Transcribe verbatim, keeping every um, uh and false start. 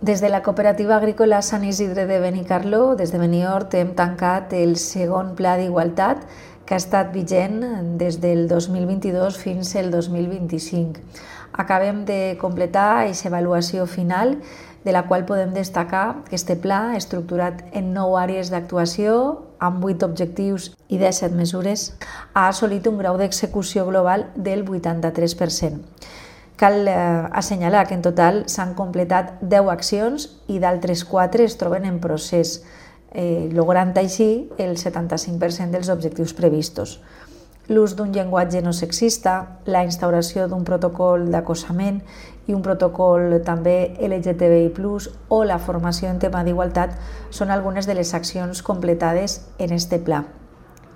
Des de la Cooperativa Agrícola Sant Isidre de Benicarló, des de Benihort, hem tancat el segon Pla d'Igualtat que ha estat vigent des del dos mil vint-i-dos fins al dos mil vint-i-cinc. Acabem de completar aquesta avaluació final, de la qual podem destacar que este pla, estructurat en nou àrees d'actuació, amb vuit objectius i disset mesures, ha assolit un grau d'execució global del vuitanta-tres per cent. Cal eh, assenyalar que en total s'han completat deu accions i d'altres quatre es troben en procés, eh, logrant així el setanta-cinc per cent dels objectius previstos. L'ús d'un llenguatge no sexista, la instauració d'un protocol d'acosament i un protocol també L G T B I plus, o la formació en tema d'igualtat són algunes de les accions completades en este pla.